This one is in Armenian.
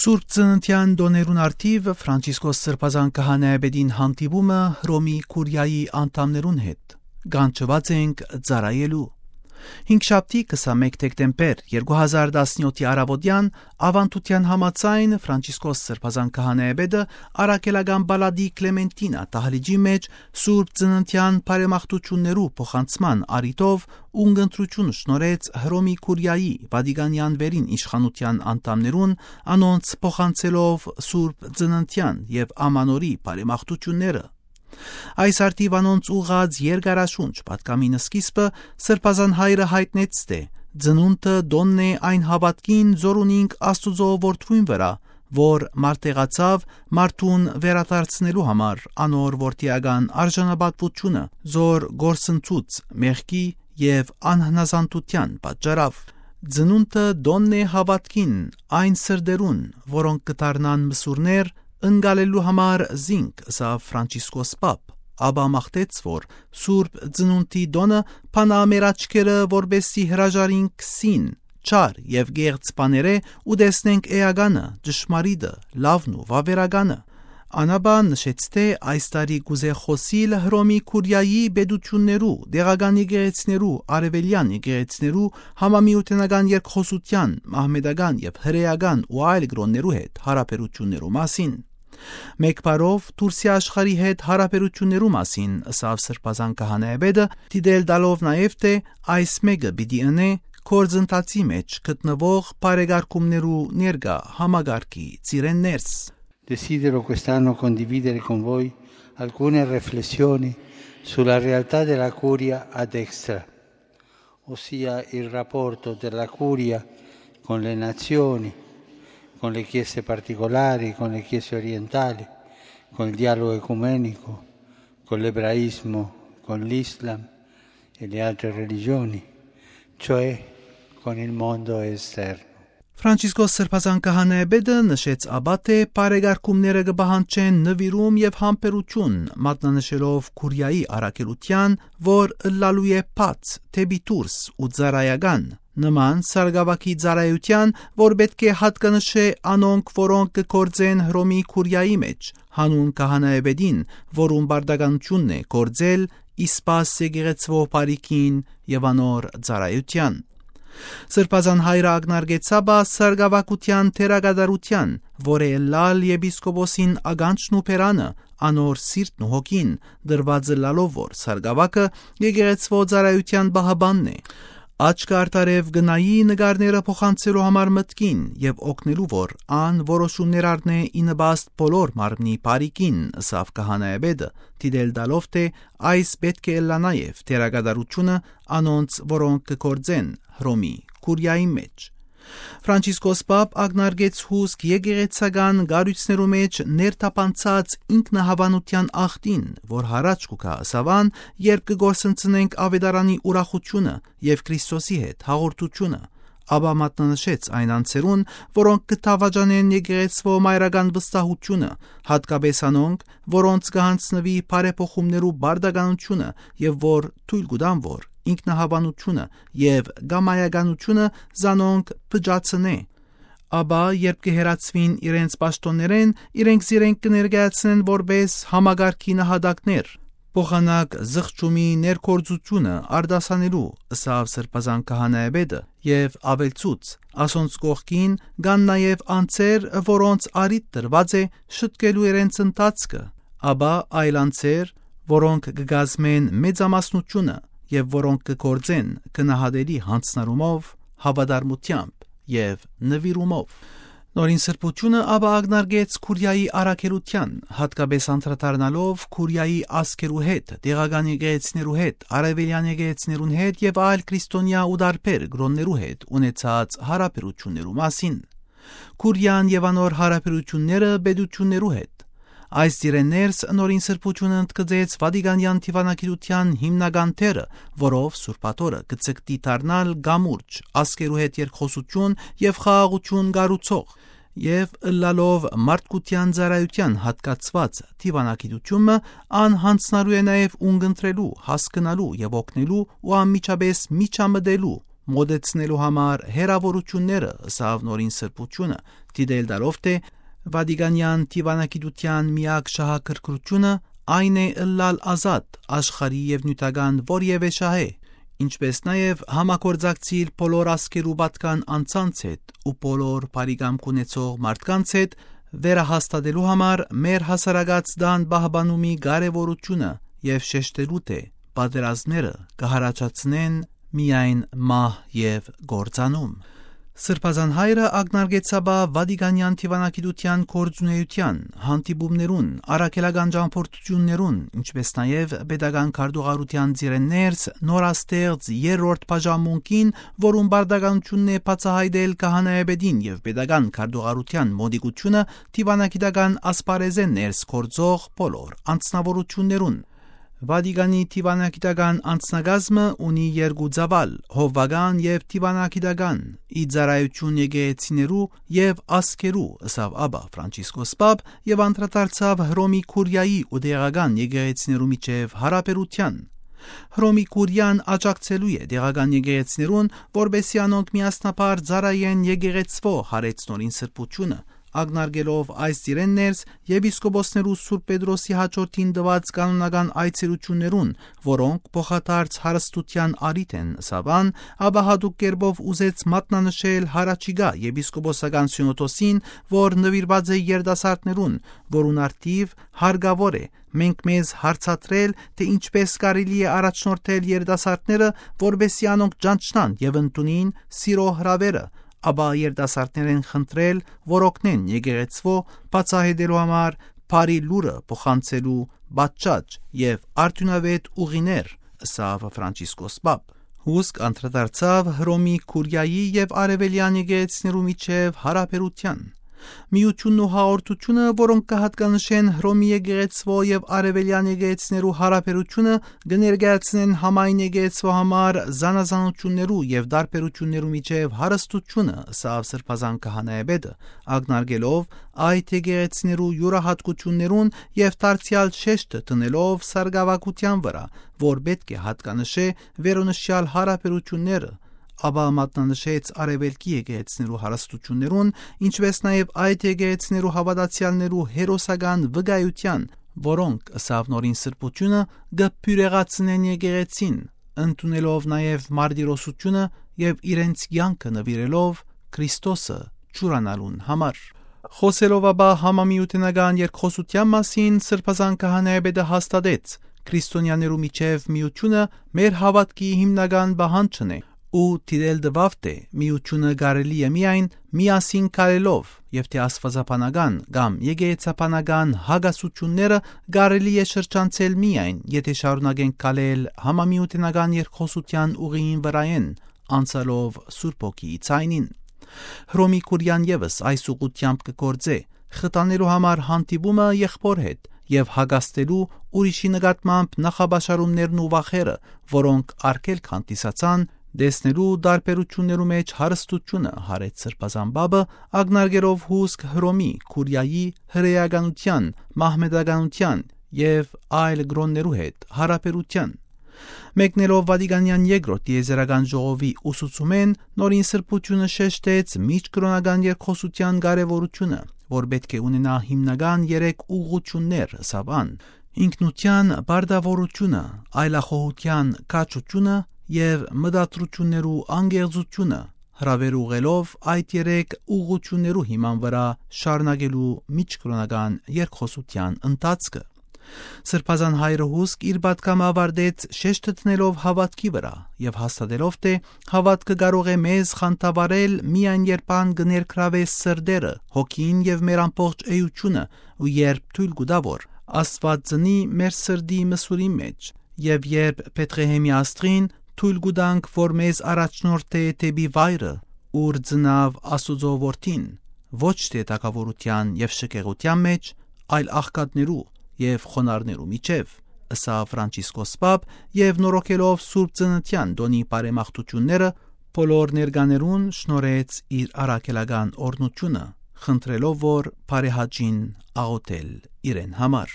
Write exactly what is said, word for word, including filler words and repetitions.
Սուրբ Ծննդյան դոներուն արդիվ Ֆրանցիսկոս Սրբազան քահանայապետին հանդիպումը Հռոմի Կուրիայի անդամներուն հետ գանչված ենք ծառայելու։ Հինգշաբթի քսանմեկ դեկտեմբեր երկու հազար տասնյոթի առավոտյան ավանդության համաձայն Ֆրանցիսկոս Սրբազան քահանայապետը Արաքելական Բալադի Կլեմենտինա տահլիճի մեջ Սուրբ Ծննդյան բարեմաղթություններու փոխանցման առիթով ունգընտրություն շնորհեց Հռոմի Կուրիայի Վատիկանյան վերին իշխանության անդամներուն անոնց փոխանցելով Սուրբ Ծննդյան եւ Ամանորի բարեմաղթությունները։ Այս արդիվ անոնց ուղղած երկարաշունչ պատկամինը սկիզբը Սրբազան հայրը հայտնեց թե ծնունդը դոնն է այն հավատքին զորունինք Աստուծո որդվույն վրա, որ մարտեղացավ մարդուն վերադարձնելու համար անոր որդիական արժանապատվությունը զոր գործընծուց մեղքի եւ անհնազանդության պատճառով։ Ծնունդը դոնն է հավատքին այն սրդերուն, որոնք կդառնան մսուրներ ընկալելու համար զինք, սա Ֆրանցիսկոս Պապ, ապա մաղթեց, որ Սուրբ Ծնունդի դոնը փանա մեր աչքերը, որբեսի հրաժարինք սին, չար եւ գեղձ բաները ու տեսնենք էականը, ճշմարիտը, լավն ու վավերականը։ Անաբան նշեց թե այս տարի կուզե խոսիլ Հռոմի Կուրիայի պետություններու, դեղական եկեղեցիներու, արևելյան եկեղեցիներու, համամիութենական երկխոսության, մահմեդական եւ հրեական ու այլ գրոններու հետ հարաբերություններու մասին։ Մեկ բառով Թուրքիա աշխարհի հետ հարաբերություններու մասին ըսավ Սրբազան քահանայապետը դիտել տալով նաեւ թե այս մեկը պիտի ընե կորձընթացի մեջ գտնվող բարեկարգումներու ներկա համագարկի ծիրեններս։ Desidero quest'anno condividere con voi alcune riflessioni sulla realtà della curia ad extra, ossia il rapporto della curia con le nazioni, con le chiese particolari, con le chiese orientali, con il dialogo ecumenico, con l'ebraismo, con l'Islam e le altre religioni, cioè con il mondo esterno. Ֆրանցիսկոս Սրբազան քահանայապետը նշեց ապա թե բարեկարգումները կբահանջեն նվիրում եւ համբերություն, մատնանշելով Կուրիայի առաքելության, որ ըլլալու է բաց, թեպի դուրս ու ծառայական, նման սարգավակի ծառայության, որ պետք է հատկանշե անոնք, որոնք կգործեն Հռոմի Կուրիայի մեջ, հանուն քահանայապետին, որում բարդականությունն է գործել, իսպաս եկեղեցվո բարիքին եւ անոր ծառայության։ Սրբազան հայրը ակնարկեցաբա սարգավակության թերագադարության, որ է լալ եպիսկոպոսին ագանչն ու պերանը, անոր սիրտն ու հոգին, դրված լալով որ սարգավակը եկեղեցվո ծառայության բահաբանն է։ Աչք արտարև գնայի նկարները փոխանցելու համար մտքին եւ օգնելու որ ան որոշումներ առնե ի նպաստ բոլոր մարմնի բարիքին, ըսավ քահանայապետը, դիտել տալով թե այս պետք է լա նաեւ թերագադարությունը անոնց, որոնք կգործեն Հռոմի Կուրիայի մեջ։ Ֆրանցիսկոս Պապ ակնարկեց հուսք եկեղեցական գարույցներու մեջ ներթափանցած ինքնահավանության աղտին, որ հարաճ կուքա սավան, երբ կգործընծնենք ավետարանի ուրախությունը եւ Քրիստոսի հետ հաղորդությունը, ապա մատնանշեց այն անձերուն, որոնք կթավաջանեն եկեղեցվո մայրական վստահությունը, հատկապես անոնք, որոնց կհանձնվի բարեփոխումներու բարդականությունը եւ որ թույլ կտան որ ինքնահավանությունը եւ գամայականությունը զանոնք փճացնե։ Ապա երբ կհերացվին իրենց պաշտոններեն, իրենք զիրենք կներկայացնեն որպես համագարկի նահատակներ, փոխանակ զղջումի ներկործությունը արդասանելու, ըսավ Սրբազան քահանայապետը եւ ավելցուց, ասոնց կողքին կան նաեւ անձեր, որոնց արիտ տրված է շտկելու իրենց ընթացքը, ապա այլ անձեր, որոնք կգազմեն մեծամասնությունը եւ որոնք կգործեն գնահատելի հանձնարումով, հավատարմությամբ եւ նվիրումով։ Նորին սրբությունը ապա ակնարկեց Կուրիայի առաքելության, հատկապես անդրադառնալով Կուրիայի ազգերու հետ, դեղական եկեղեցիներու հետ, արևելյան եկեղեցիներուն հետ եւ այլ քրիստոնյա ու դարբեր գրոններու հետ ունեցած հարաբերություններու մասին։ Կուրիան եւ անոր հարաբերությունները պետություններու հետ։ Այս դիրեներս նորին սրբությունը ընդգծեց Վատիկանյան դիվանագիտության հիմնական թերը, որով Սուրբաթորը կցկտի դառնալ գամուրջ, ազգերու հետ երկխոսություն եւ խաղաղություն գառուցող, եւ ըլլալով մարդկության ծառայության հատկացված դիվանագիտությունը անհանձնարու է նաեւ ունգընտրելու, հասկանալու եւ օգնելու ու անմիջապես միջամտելու մոդեցնելու համար հերավորությունները ըսավ նորին սրբությունը Դիդել դարովտ է Վադիգանյան դիվանագիտության միակ շահակրկրությունը այն է ըլլալ ազատ աշխարհի եւ նյութական որևէ շահե, ինչպես նաև համագործակցել բոլոր ասկերու պատկան անձանց հետ ու բոլոր բարիգամք ունեցող մարդկանց հետ վերահաստատելու համար մեր հասարակած դան բահբանումի կարևորությունը եւ շեշտելու թե պատերազմները կհարաճացնեն միայն մահ եւ գործանում։ Սրբազան հայրը ակնարկեցաբա Վադիգանյան դիվանագիտության գործունեության, հանդիպումներուն, առաքելական ճամփորդություններուն, ինչպես նաև pedagogan քարտուղարության ծիրեններս նորաստեղծ երրորդ բաժանմունքին, որում բարդականությունն է բացահայտել քահանայապետին եւ pedagogan քարտուղարության մոդիկությունը դիվանագիտական ասպարեզեն ներս գործող բոլոր անձնավորություններուն։ Վադիգանի դիվանագիտական անձնագազմը ունի երկու ծավալ՝ հովվական եւ դիվանագիտական, իծարայություն եկեղեցիներու եւ ասկերու, ըսավ Աբա Ֆրանցիսկոս Պապ եւ անդրադարձավ Հռոմի Կուրիայի ու դեղական եկեղեցիներու միջև հարաբերության։ Հռոմի Կուրիան աջակցելու է դեղական եկեղեցիներուն, որբեսի անոնք միասնաբար ծառայեն եկեղեցվո հարեցնորին սրբությունը, ակնարկելով այս ծիրեններս եպիսկոպոսներու Սուրբ Պետրոսի հաջորդին տված կանոնական այցելություններուն, որոնք փոխադարձ հարստության առիթ են սավան, ապա հատուկ կերպով ուզեց մատնանշել հարաճիգա եպիսկոպոսական սյունոդոսին, որ նվիրված է երիտասարդներուն, որուն արդիվ հարգավոր է մենք մեզ հարցատրել, թե ինչպես կարելի է առաջնորդել երիտասարդները, որբեսի անոնք ճանչնան եւ ընդունին սիրո հրավերը, ապա երիտասարդներեն խնդրել, որ օգնեն եկեղեցվո բացահայտելու համար բարի լուրը փոխանցելու պատճաճ եւ արդյունավետ ուղիներ, ըսավ Ֆրանցիսկոս Պապ։ Հուսք անդրադարձավ Հռոմի Կուրիայի եւ Արևելյան եկեղեցիներու միջև հարաբերության։ Միությունն ու հաղորդությունը, որոնք կհատկանշեն Հռոմի եկեղեցվո եւ Արևելյան եկեղեցիներու հարաբերությունը, կներկայացնեն համայն եկեղեցվո համար զանազանություններու եւ դարբերություններու միջև հարստությունը, սավ սրբազան քահանայապետը, ակնարկելով այդ եկեղեցիներու յուրահատկություններուն եւ դարձյալ շեշտը տնելով սարգսակության վրա, որ պետք է հատկանշե վերոնշյալ հարաբերությունները, ապա մատնանշեց արևելքի եկեղեցիներու հարստություններուն, ինչպես նաև այդ եկեղեցիներու հավատացյալներու հերոսական վկայության, որոնք ըսավ նորին սրբությունը կփյուրեղացնեն եկեղեցին, ընդունելով նաև մարտիրոսությունը եւ իրենց կյանքը նվիրելով Քրիստոսը ճուրանալուն համար։ Խոսելով ապա համամիութենական երկխոսության մասին, սրբազան քահանայապետը հաստատեց քրիստոնյաներու միջև միությունը մեր հավատքի հիմնական բանջն է ու դիտել դվավ թե միությունը կարելի է միայն միասին կարելով եւ թե աստվածաբանական կամ եկեղեցաբանական հագասությունները կարելի է շրջանցել միայն եթե շարունակենք կալել համամիութենական երկխոսության ուղիին վրայեն անցալով Սուրբ Օգիի ցայնին։ Հռոմի Կուրիան եւս այս ուղղությամբ կգործե խտանելու համար հանդիպումը եղբոր հետ եւ հագաստելու ուրիշի նկատմամբ նախաբաշարումներն ու վախերը, որոնք արգելք հանդիսացան դեսնելու դարբերություններու մեջ հարստությունը հարեց սրբազան Պապը, ակնարկելով հուսք Հռոմի Կուրիայի հրեականության, մահմեդականության եւ այլ գրոններու հետ հարաբերության։ Մեկնելով Վադիգանյան երկրորդ տիեզերական ժողովի ուսուցումեն, նորին սրբությունը շեշտեց միջկրոնական երկխոսության կարևորությունը, որ պետք է ունենա հիմնական երեք ուղղություններ, սավան՝ ինքնության բարդավորությունը, այլախոհության կաչությունը եւ մտադրություններու անգեղծությունը, հրավեր ուղելով այդ երեք ուղղություններու հիման վրա շարունակելու միջկրոնական երկխոսության ընթացքը։ Սրբազան հայրը հուսք իր պատգամը ավարտեց շեշտը տնելով հավատքի վրա եւ հաստատելով թե հավատքը կարող է մեզ խանդավառել միայն երբ ան կներգրավե սրդերը, հոգին եւ մեր ամբողջ էությունը ու երբ թույլ կտա որ Աստված ծնի մեր սրդի մսուրի մեջ եւ երբ Պետրեհեմի աստղին թույլ կտանք որ մեզ առաջնորդ է դեպի վայրը ուր ծնավ Աստուծո որդին ոչ թե թակավորության եւ շքեղության մեջ այլ աղքատներու եւ խոնարհներու միջև, ըսավ Ֆրանցիսկոս Պապ եւ նորոգելով Սուրբ Ծննդյան տոնի բարեմաղթությունները բոլոր ներկաներուն շնորհեց իր առաքելական օրհնությունը, խնդրելով որ բարեհաճին աղոթել իրեն համար։